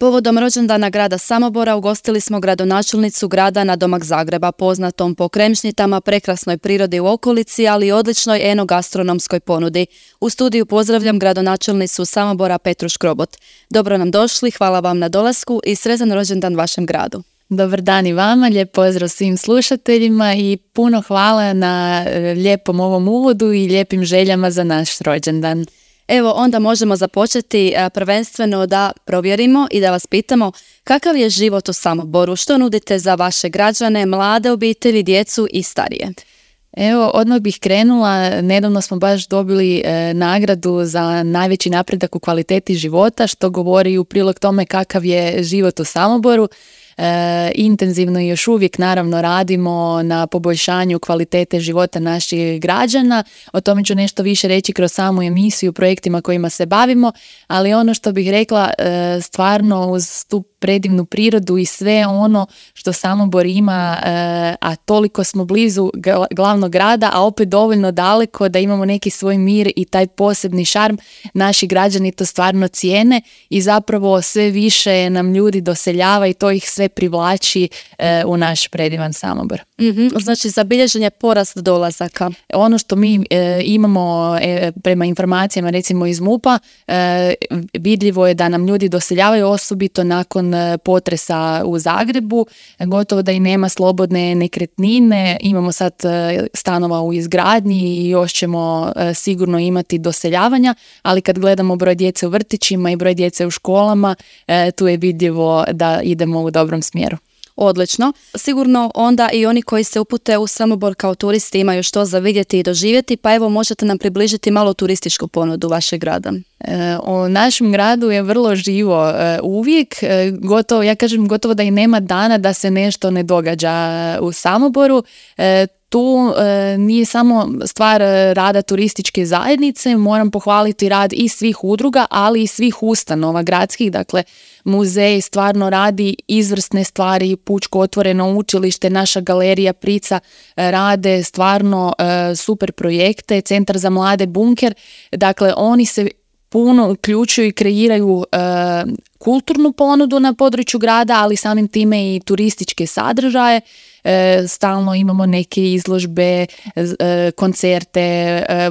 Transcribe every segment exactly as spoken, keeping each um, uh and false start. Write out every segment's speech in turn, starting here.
Povodom rođendana grada Samobora ugostili smo gradonačelnicu grada nadomak Zagreba, poznatom po kremšnjitama, prekrasnoj prirodi u okolici, ali i odličnoj enogastronomskoj ponudi. U studiju pozdravljam gradonačelnicu Samobora Petru Škrobot. Dobro nam došli, hvala vam na dolasku i sretan rođendan vašem gradu. Dobar dan i vama, lijep pozdrav svim slušateljima i puno hvala na lijepom ovom uvodu i lijepim željama za naš rođendan. Evo, onda možemo započeti prvenstveno da provjerimo i da vas pitamo kakav je život u Samoboru, što nudite za vaše građane, mlade obitelji, djecu i starije. Evo, odmah bih krenula, nedavno smo baš dobili e, nagradu za najveći napredak u kvaliteti života, što govori u prilog tome kakav je život u Samoboru. E, intenzivno i još uvijek naravno radimo na poboljšanju kvalitete života naših građana. O tome ću nešto više reći kroz samu emisiju, projektima kojima se bavimo, ali ono što bih rekla, e, stvarno uz tu predivnu prirodu i sve ono što Samobor ima, e, a toliko smo blizu glavnog grada, a opet dovoljno daleko da imamo neki svoj mir i taj posebni šarm, naši građani to stvarno cijene i zapravo sve više nam ljudi doseljava i to ih sve privlači e, u naš predivan Samobor. Mm-hmm. Znači zabilježen je porast dolazaka. Ono što mi e, imamo e, prema informacijama recimo iz MUP-a, e, vidljivo je da nam ljudi doseljavaju osobito nakon potresa u Zagrebu, gotovo da i nema slobodne nekretnine, imamo sad stanova u izgradnji i još ćemo sigurno imati doseljavanja, ali kad gledamo broj djece u vrtićima i broj djece u školama, tu je vidljivo da idemo u dobrom smjeru. Odlično. Sigurno onda i oni koji se upute u Samobor kao turisti imaju što za vidjeti i doživjeti, pa evo možete nam približiti malo turističku ponudu vašeg grada. E, u našem gradu je vrlo živo e, uvijek, e, gotovo, ja kažem gotovo da i nema dana da se nešto ne događa u Samoboru. E, Tu e, nije samo stvar rada turističke zajednice, moram pohvaliti rad i svih udruga, ali i svih ustanova gradskih, dakle muzej stvarno radi izvrsne stvari, Pučko otvoreno učilište, naša galerija Prica e, rade stvarno e, super projekte, Centar za mlade Bunker, dakle oni se puno uključuju i kreiraju e, kulturnu ponudu na području grada, ali samim time i turističke sadržaje. E, stalno imamo neke izložbe, e, koncerte, e,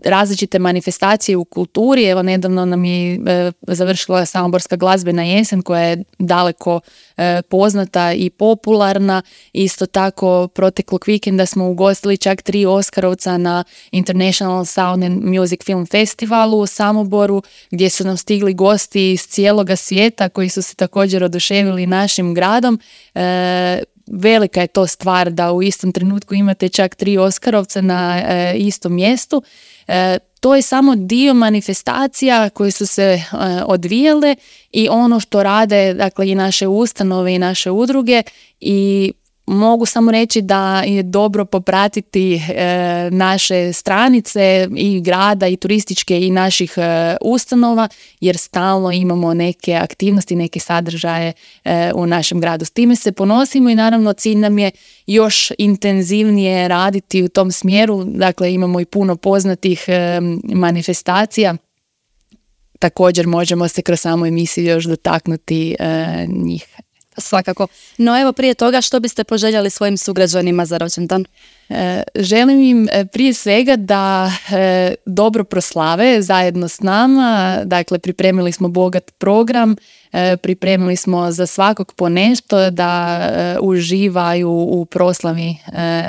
različite manifestacije u kulturi. Evo nedavno nam je e, završila Samoborska glazbena jesen koja je daleko e, poznata i popularna. Isto tako proteklog vikenda smo ugostili čak tri Oskarovca na International Sound and Music Film Festivalu u Samoboru, gdje su nam stigli gosti iz cijeloga svijeta koji su se također oduševili našim gradom. E, Velika je to stvar da u istom trenutku imate čak tri Oskarovca na e, istom mjestu. E, to je samo dio manifestacija koje su se e, odvijale i ono što rade, dakle, i naše ustanove i naše udruge, i mogu samo reći da je dobro popratiti e, naše stranice i grada i turističke i naših e, ustanova, jer stalno imamo neke aktivnosti, neke sadržaje e, u našem gradu. S time se ponosimo i naravno cilj nam je još intenzivnije raditi u tom smjeru. Dakle, imamo i puno poznatih e, manifestacija. Također možemo se kroz samu emisiju još dotaknuti e, njih. Svakako. No evo, prije toga, što biste poželjeli svojim sugrađanima za rođendan? E, želim im e, prije svega da e, dobro proslave zajedno s nama. Dakle, pripremili smo bogat program, e, pripremili smo za svakog po nešto da e, uživaju u proslavi e,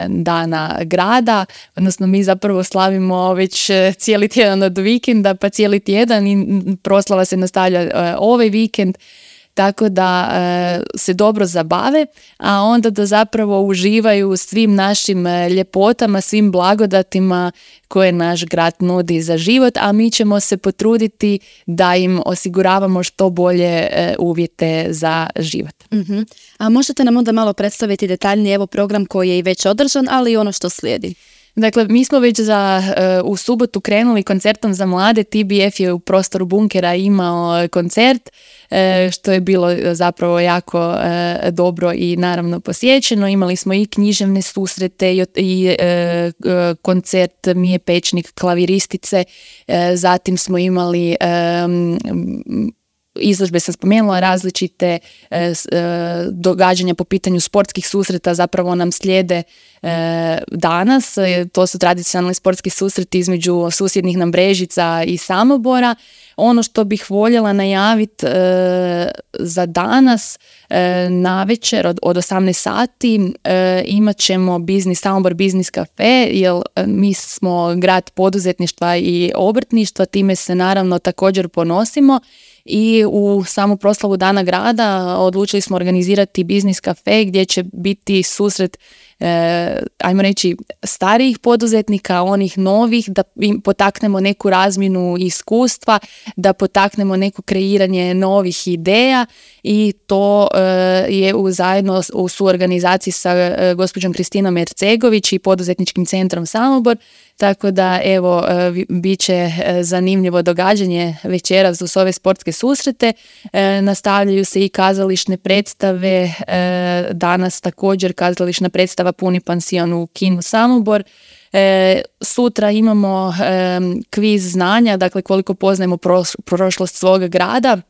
dana grada. Odnosno, mi zapravo slavimo već cijeli tjedan od vikenda, pa cijeli tjedan i proslava se nastavlja e, ovaj vikend. Tako da e, se dobro zabave, a onda da zapravo uživaju svim našim e, ljepotama, svim blagodatima koje naš grad nudi za život, a mi ćemo se potruditi da im osiguravamo što bolje e, uvjete za život. Mm-hmm. A možete nam onda malo predstaviti detaljnije evo program koji je i već održan, ali i ono što slijedi? Dakle, mi smo već za, uh, u subotu krenuli koncertom za mlade. T B F je u prostoru Bunkera imao koncert, uh, što je bilo zapravo jako uh, dobro i naravno posjećeno. Imali smo i književne susrete i, i uh, koncert Mije Pečnik, klaviristice. Uh, zatim smo imali um, izložbe sam spomenula, različite e, e, događanja po pitanju sportskih susreta zapravo nam slijede e, danas. E, to su tradicionalni sportski susreti između susjednih nam Brežica i Samobora. Ono što bih voljela najaviti e, za danas, e, navečer od, od osamnaest sati e, imat ćemo biznis, Samobor biznis kafe, jer e, mi smo grad poduzetništva i obrtništva, time se naravno također ponosimo. I u samu proslavu Dana grada odlučili smo organizirati biznis kafe gdje će biti susret, e, ajmo reći, starijih poduzetnika, onih novih, da im potaknemo neku razmjenu iskustva, da potaknemo neko kreiranje novih ideja i to e, je u, zajedno u suorganizaciji sa e, gospođom Kristinom Ercegović i poduzetničkim centrom Samobor. Tako da, evo, bit će zanimljivo događanje večeras uz ove sportske susrete. E, nastavljaju se i kazališne predstave. E, danas također kazališna predstava Puni pansion u kinu Samobor. E, sutra imamo e, kviz znanja, dakle koliko poznajemo proš- prošlost svoga grada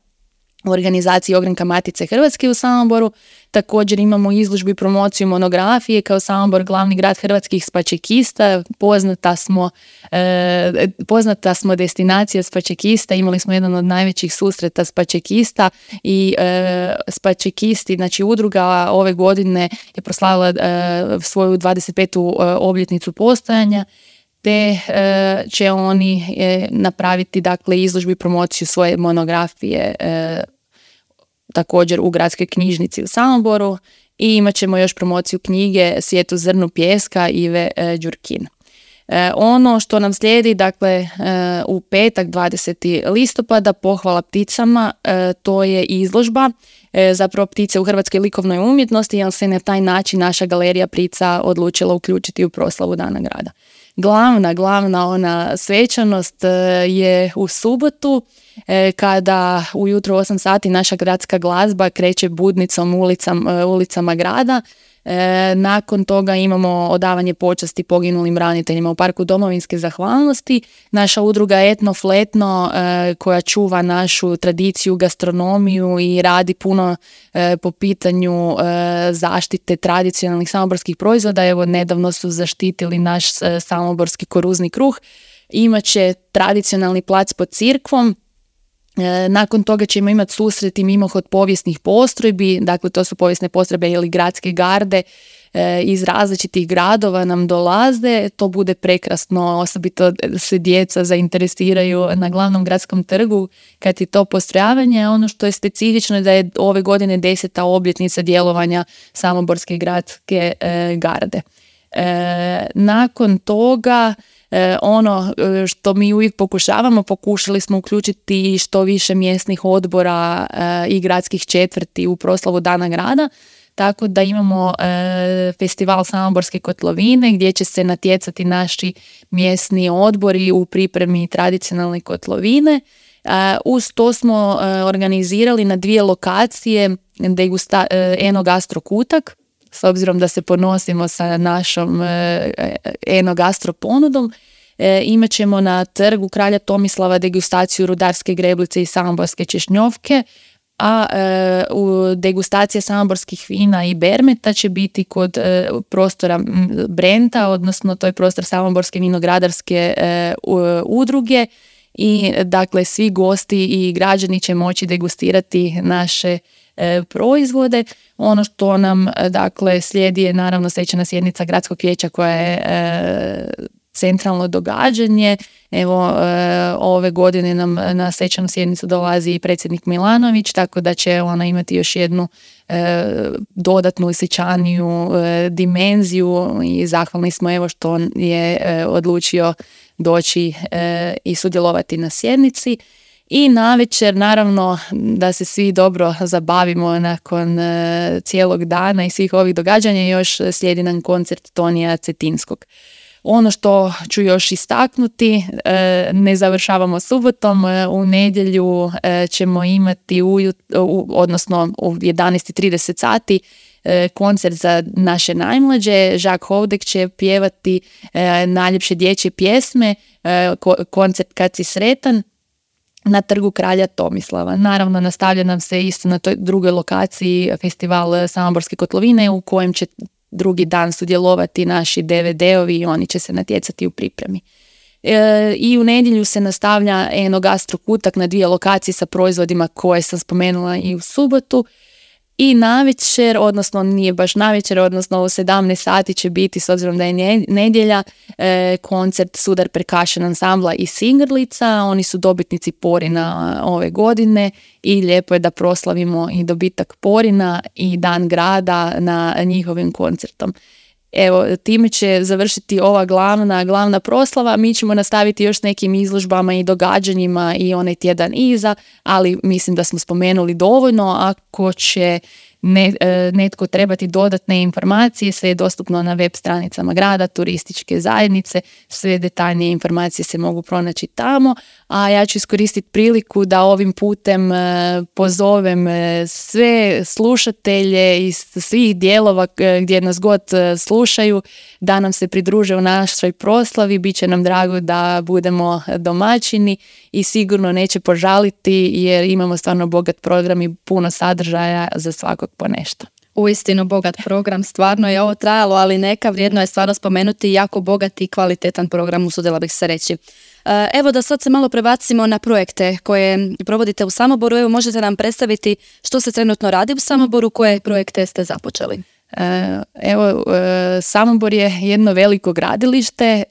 u organizaciji Ogranka Matice Hrvatske u Samoboru. Također imamo izložbu i promociju monografije kao Samobor, glavni grad hrvatskih spačekista. Poznata smo, e, poznata smo destinacija spačekista. Imali smo jedan od najvećih susreta spačekista i e, spačekisti, znači udruga ove godine je proslavila e, svoju dvadeset petu obljetnicu postojanja, te e, će oni e, napraviti, dakle, izložbu i promociju svoje monografije e, također u gradskoj knjižnici u Samoboru i imat ćemo još promociju knjige Svijet u zrnu pijeska Ive e, Đurkin. E, ono što nam slijedi, dakle, e, u petak dvadesetog listopada pohvala pticama, e, to je izložba e, zapravo ptice u hrvatskoj likovnoj umjetnosti, jer se na taj način naša galerija ptica odlučila uključiti u proslavu Dana grada. Glavna, glavna ona svečanost je u subotu kada ujutro u osam sati naša gradska glazba kreće budnicom ulicama, ulicama grada. Nakon toga imamo odavanje počasti poginulim braniteljima u Parku domovinske zahvalnosti. Naša udruga Etno Fletno koja čuva našu tradiciju, gastronomiju i radi puno po pitanju zaštite tradicionalnih samoborskih proizvoda. Evo, nedavno su zaštitili naš samoborski koruzni kruh. Imaće tradicionalni plac pod cirkvom. Nakon toga ćemo imati susret i mimohod povijesnih postrojbi, dakle to su povijesne postrojbe ili gradske garde e, iz različitih gradova nam dolaze. To bude prekrasno, osobito se djeca zainteresiraju na glavnom gradskom trgu kad je to postrojavanje. Ono što je specifično je da je ove godine deseta obljetnica djelovanja Samoborske gradske e, garde. E, nakon toga E, ono što mi uvijek pokušavamo, pokušali smo uključiti što više mjesnih odbora e, i gradskih četvrti u proslavu Dana grada, tako da imamo e, festival Samoborske kotlovine gdje će se natjecati naši mjesni odbori u pripremi tradicionalne kotlovine. E, uz to smo e, organizirali na dvije lokacije degusta, e, Eno Gastro Kutak, s obzirom da se ponosimo sa našom e, Eno Gastro ponudom. E, imat ćemo na trgu Kralja Tomislava degustaciju rudarske greblice i samoborske češnjovke, a e, u degustacija samoborskih vina i bermeta će biti kod e, prostora Brenta, odnosno to je prostor Samoborske vinogradarske e, udruge i dakle svi gosti i građani će moći degustirati naše e, proizvode. Ono što nam dakle slijedi je naravno svečana sjednica gradskog vijeća koja je e, centralno događanje. Evo, e, ove godine nam na svečanu sjednicu dolazi i predsjednik Milanović, tako da će ona imati još jednu e, dodatnu i svečaniju e, dimenziju i zahvalni smo evo što je e, odlučio doći e, i sudjelovati na sjednici. I navečer, naravno, da se svi dobro zabavimo nakon e, cijelog dana i svih ovih događanja, još slijedi nam koncert Tonija Cetinskog. Ono što ću još istaknuti, e, ne završavamo subotom, e, u nedjelju e, ćemo imati, ujut, u, odnosno u jedanaest i trideset sati, e, koncert za naše najmlađe. Žak Hovdek će pjevati e, najljepše dječje pjesme, e, ko, koncert Kad si sretan. na trgu kralja Tomislava. Naravno, nastavlja nam se isto na toj drugoj lokaciji festival Samoborske kotlovine u kojem će drugi dan sudjelovati naši D V D-ovi i oni će se natjecati u pripremi. E, I u nedjelju se nastavlja Enogastro Kutak na dvije lokacije sa proizvodima koje sam spomenula i u subotu. I navečer, odnosno nije baš navečer, odnosno u sedamnaest sati će biti, s obzirom da je nedjelja, e, koncert Sudar Percussion ansambla iz Singrlica. Oni su dobitnici Porina ove godine i lijepo je da proslavimo i dobitak Porina i Dan grada na njihovim koncertom. Evo, time će završiti ova glavna, glavna proslava. Mi ćemo nastaviti još s nekim izložbama i događanjima i onaj tjedan iza, ali mislim da smo spomenuli dovoljno. Ako će ne, netko trebati dodatne informacije, sve je dostupno na web stranicama grada, turističke zajednice, sve detaljnije informacije se mogu pronaći tamo, a ja ću iskoristiti priliku da ovim putem pozovem sve slušatelje iz svih dijelova gdje nas god slušaju da nam se pridruže u našoj proslavi. Biće nam drago da budemo domaćini i sigurno neće požaliti jer imamo stvarno bogat program i puno sadržaja za svakog po nešto. Uistinu bogat program, stvarno je ovo trajalo, ali neka vrijedno je stvarno spomenuti jako bogat i kvalitetan program, usudila bih se reći. Evo da sad se malo prebacimo na projekte koje provodite u Samoboru. Evo, možete nam predstaviti što se trenutno radi u Samoboru, koje projekte ste započeli? Evo, Samobor je jedno veliko gradilište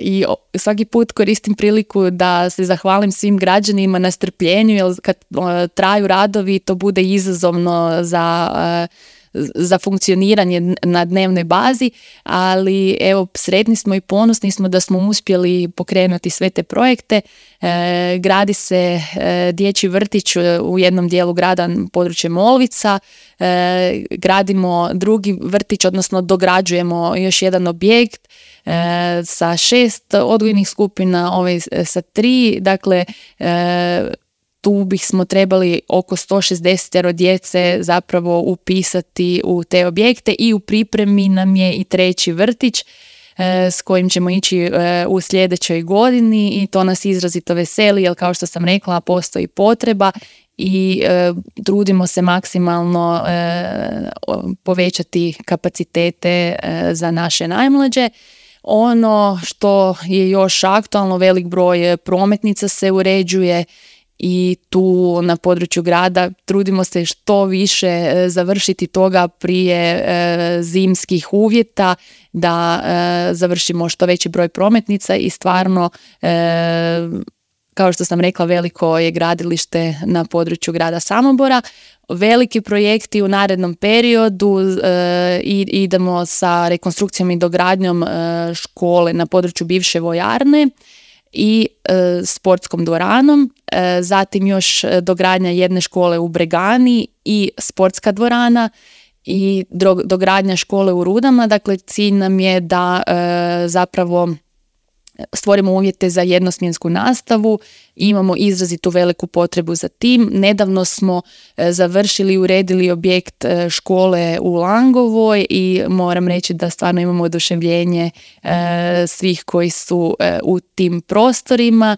i svaki put koristim priliku da se zahvalim svim građanima na strpljenju, jer kad traju radovi to bude izazovno za za funkcioniranje na dnevnoj bazi, ali evo, sretni smo i ponosni smo da smo uspjeli pokrenuti sve te projekte. E, gradi se e, dječji vrtić u jednom dijelu grada, područje Molvica, e, gradimo drugi vrtić, odnosno dograđujemo još jedan objekt e, sa šest odgojnih skupina, ovaj sa tri, dakle e, tu bismo trebali oko sto šezdeset djece zapravo upisati u te objekte i u pripremi nam je i treći vrtić e, s kojim ćemo ići e, u sljedećoj godini i to nas izrazito veseli jer kao što sam rekla postoji potreba i e, trudimo se maksimalno e, povećati kapacitete e, za naše najmlađe. Ono što je još aktualno, velik broj prometnica se uređuje i tu na području grada trudimo se što više završiti toga prije e, zimskih uvjeta, da e, završimo što veći broj prometnica i stvarno e, kao što sam rekla, veliko je gradilište na području grada Samobora. Veliki projekti u narednom periodu, e, idemo sa rekonstrukcijom i dogradnjom e, škole na području bivše vojarne i e, sportskom dvoranom, e, zatim još dogradnja jedne škole u Bregani i sportska dvorana i dogradnja škole u Rudama. Dakle, cilj nam je da e, zapravo stvorimo uvjete za jednosmjensku nastavu, imamo izrazitu veliku potrebu za tim. Nedavno smo e, završili i uredili objekt e, škole u Langovoj i moram reći da stvarno imamo oduševljenje e, svih koji su e, u tim prostorima.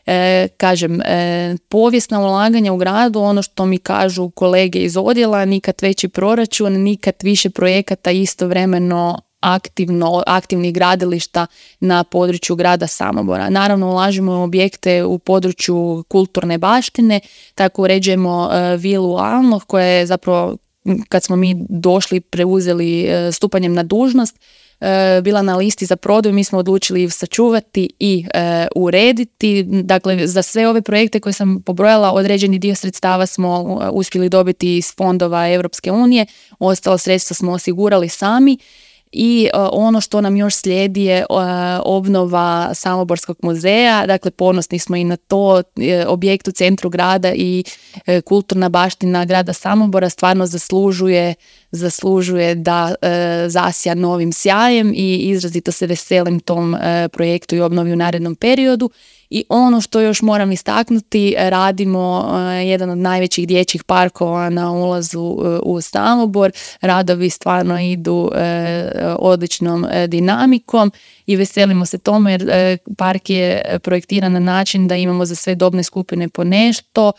E, kažem, e, povijesna ulaganja u gradu, ono što mi kažu kolege iz odjela, nikad veći proračun, nikad više projekata istovremeno aktivno, aktivnih gradilišta na području grada Samobora. Naravno, ulažemo u objekte u području kulturne baštine, tako uređujemo uh, vilu Alno, koja je zapravo, kad smo mi došli, preuzeli uh, stupanjem na dužnost, uh, bila na listi za prodaju. Mi smo odlučili sačuvati i uh, urediti. Dakle, za sve ove projekte koje sam pobrojala, određeni dio sredstava smo uh, uspjeli dobiti iz fondova Europske unije, ostala sredstva smo osigurali sami. I uh, ono što nam još slijedi je uh, obnova Samoborskog muzeja. Dakle, ponosni smo i na to. E, objekt u centru grada i e, kulturna baština grada Samobora stvarno zaslužuje, zaslužuje da e, zasja novim sjajem i izrazito se veselim tom e, projektu i obnovi u narednom periodu. I ono što još moram istaknuti, radimo jedan od najvećih dječjih parkova na ulazu u Samobor. Radovi stvarno idu odličnom dinamikom i veselimo se tome jer park je projektiran na način da imamo za sve dobne skupine po nešto,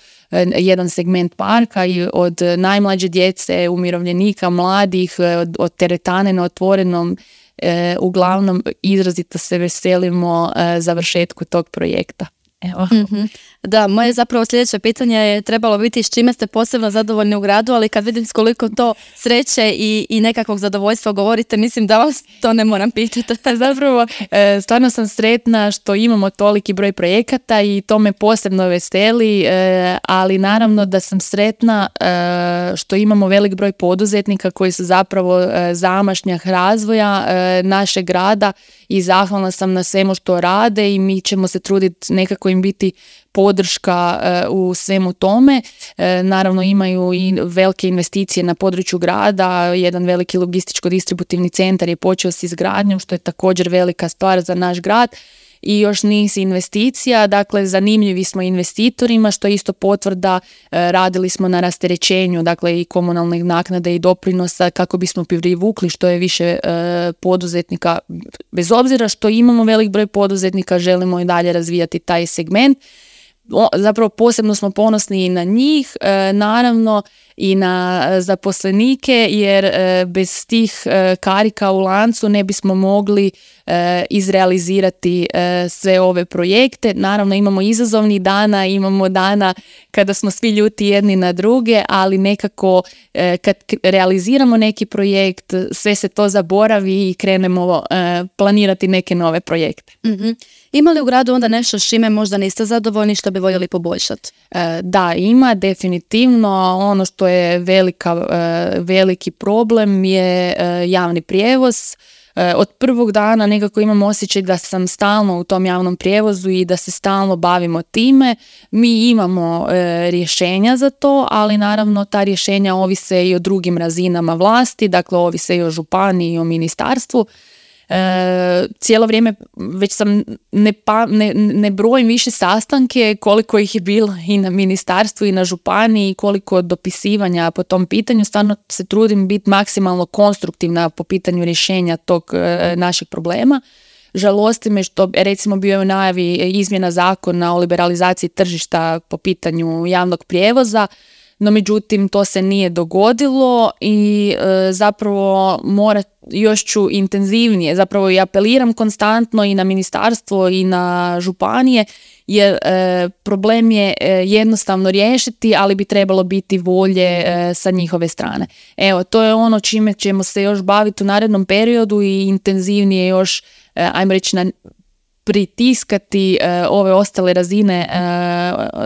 jedan segment parka i od najmlađe djece, umirovljenika, mladih, od, od teretane na otvorenom. E, uglavnom izrazito se veselimo e, završetku tog projekta. Evo. Mm-hmm. Da, moje zapravo sljedeće pitanje je trebalo biti s čime ste posebno zadovoljni u gradu, ali kad vidim s koliko to sreće i, i nekakvog zadovoljstva govorite, mislim da vas to ne moram pitati. Zapravo, e, stvarno sam sretna što imamo toliki broj projekata i to me posebno veseli, e, ali naravno da sam sretna e, što imamo velik broj poduzetnika koji su zapravo e, zamašnjak razvoja e, našeg grada i zahvalna sam na svemu što rade i mi ćemo se truditi nekako im biti podrška e, u svemu tome. E, naravno imaju i velike investicije na području grada, jedan veliki logističko-distributivni centar je počeo s izgradnjom, što je također velika stvar za naš grad. I još niz investicija, dakle zanimljivi smo investitorima, što je isto potvrda, e, radili smo na rasterećenju, dakle i komunalnih naknada i doprinosa kako bismo privukli što je više e, poduzetnika. Bez obzira što imamo velik broj poduzetnika, želimo i dalje razvijati taj segment. O, zapravo posebno smo ponosni i na njih, e, naravno i na zaposlenike, jer e, bez tih e, karika u lancu ne bismo mogli e, izrealizirati e, sve ove projekte. Naravno imamo izazovnih dana, imamo dana kada smo svi ljuti jedni na druge, ali nekako e, kad realiziramo neki projekt, sve se to zaboravi i krenemo e, planirati neke nove projekte. Mm-hmm. Ima li u gradu onda nešto s čime možda niste zadovoljni, što bi voljeli poboljšati? E, da, ima definitivno. Ono što je velika, e, veliki problem je e, javni prijevoz. E, od prvog dana nekako imam osjećaj da sam stalno u tom javnom prijevozu i da se stalno bavimo time. Mi imamo e, rješenja za to, ali naravno ta rješenja ovise i o drugim razinama vlasti, dakle ovise i o županiji i o ministarstvu. E, cijelo vrijeme već sam ne, pa, ne, ne brojim više sastanke koliko ih je bilo i na ministarstvu i na županiji, koliko dopisivanja po tom pitanju. Stvarno se trudim biti maksimalno konstruktivna po pitanju rješenja tog e, našeg problema. Žalosti me što recimo bio je u najavi izmjena zakona o liberalizaciji tržišta po pitanju javnog prijevoza, no međutim to se nije dogodilo i e, zapravo mora, još ću intenzivnije, zapravo i apeliram konstantno i na ministarstvo i na županije, jer e, problem je e, jednostavno riješiti, ali bi trebalo biti volje e, sa njihove strane. Evo, to je ono čime ćemo se još baviti u narednom periodu i intenzivnije još, e, ajmo reći, na pritiskati e, ove ostale razine e,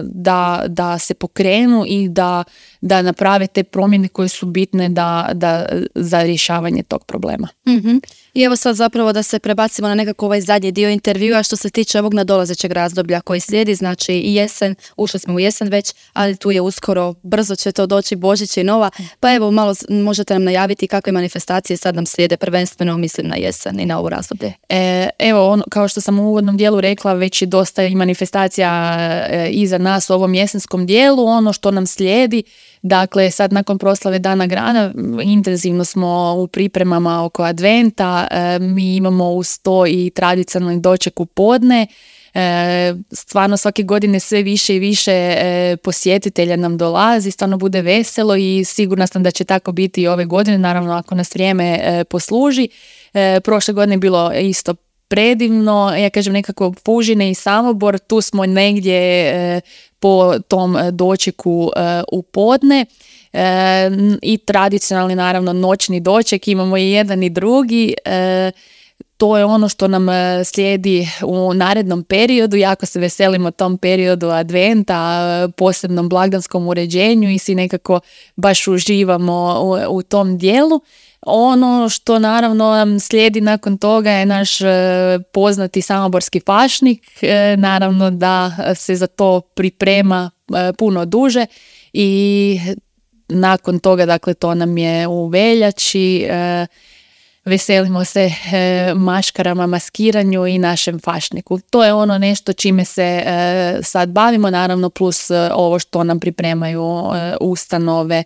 da, da se pokrenu i da, da naprave te promjene koje su bitne da, da, za rješavanje tog problema. Mm-hmm. I evo sad zapravo da se prebacimo na nekako ovaj zadnji dio intervjua što se tiče ovog nadolazećeg razdoblja koji slijedi, znači i jesen, ušli smo u jesen već, ali tu je uskoro, brzo će to doći Božić i Nova, pa evo malo možete nam najaviti kakve manifestacije sad nam slijede, prvenstveno mislim na jesen i na ovo razdoblje. E, evo, ono, kao što sam u uvodnom dijelu rekla, već je dosta i manifestacija e, iza nas u ovom jesenskom dijelu. Ono što nam slijedi, dakle sad nakon proslave Dana grada intenzivno smo u pripremama oko adventa, e, mi imamo uz to i tradicionalni doček u podne. E, stvarno svake godine sve više i više e, posjetitelja nam dolazi, stvarno bude veselo i sigurna sam da će tako biti i ove godine, naravno ako nas vrijeme e, posluži. E, prošle godine je bilo isto predivno, ja kažem nekako Fužine i Samobor, tu smo negdje e, po tom dočeku e, u podne. E, i tradicionalni naravno noćni doček, imamo i jedan i drugi. E, to je ono što nam slijedi u narednom periodu, jako se veselimo tom periodu adventa, posebnom blagdanskom uređenju i si nekako baš uživamo u, u tom dijelu. Ono što naravno nam slijedi nakon toga je naš e, poznati samoborski pašnik, e, naravno da se za to priprema e, puno duže i nakon toga, dakle to nam je u veljači, e, veselimo se e, maškarama, maskiranju i našem fašniku. To je ono nešto čime se e, sad bavimo, naravno plus e, ovo što nam pripremaju e, ustanove,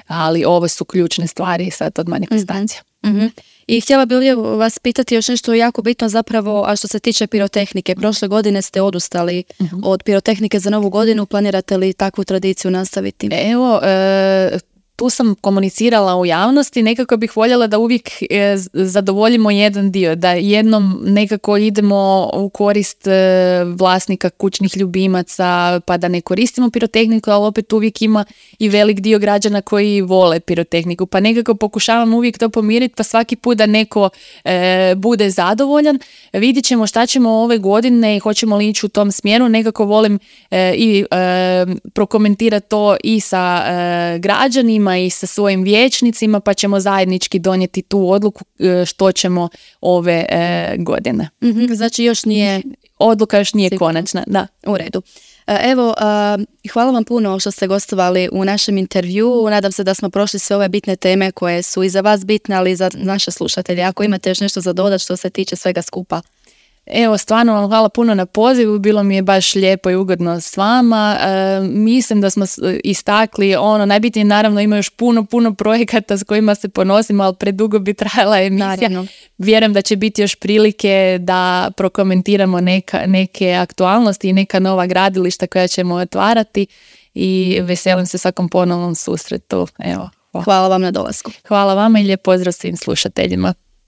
ali ovo su ključne stvari sad od manifestacija. Mm-hmm. I htjela bih vas pitati još nešto jako bitno zapravo, a što se tiče pirotehnike. Prošle godine ste odustali mm-hmm. od pirotehnike za novu godinu. Planirate li takvu tradiciju nastaviti? Evo, e, tu sam komunicirala u javnosti, nekako bih voljela da uvijek e, zadovoljimo jedan dio, da jednom nekako idemo u korist e, vlasnika kućnih ljubimaca, pa da ne koristimo pirotehniku, ali opet uvijek ima i velik dio građana koji vole pirotehniku, pa nekako pokušavam uvijek to pomiriti, pa svaki put da neko e, bude zadovoljan. Vidjet ćemo šta ćemo ove godine i hoćemo li ići u tom smjeru, nekako volim e, i e, prokomentirati to i sa e, građanima i sa svojim vijećnicima, pa ćemo zajednički donijeti tu odluku što ćemo ove e, godine. Mm-hmm, znači još nije... Odluka još nije sigurno. Konačna, da. U redu. Evo, hvala vam puno što ste gostovali u našem intervjuu. Nadam se da smo prošli sve ove bitne teme koje su i za vas bitne, ali i za naše slušatelje. Ako imate još nešto za dodat što se tiče svega skupa. Evo, stvarno vam hvala puno na pozivu, bilo mi je baš lijepo i ugodno s vama. E, mislim da smo istakli ono, najbitnije naravno ima još puno, puno projekata s kojima se ponosimo, ali predugo bi trajala emisija. Naravno. Vjerujem da će biti još prilike da prokomentiramo neka, neke aktualnosti i neka nova gradilišta koja ćemo otvarati i veselim se svakom ponovnom susretu. Evo, hvala vam na dolasku. Hvala vama i lijep pozdrav svim slušateljima.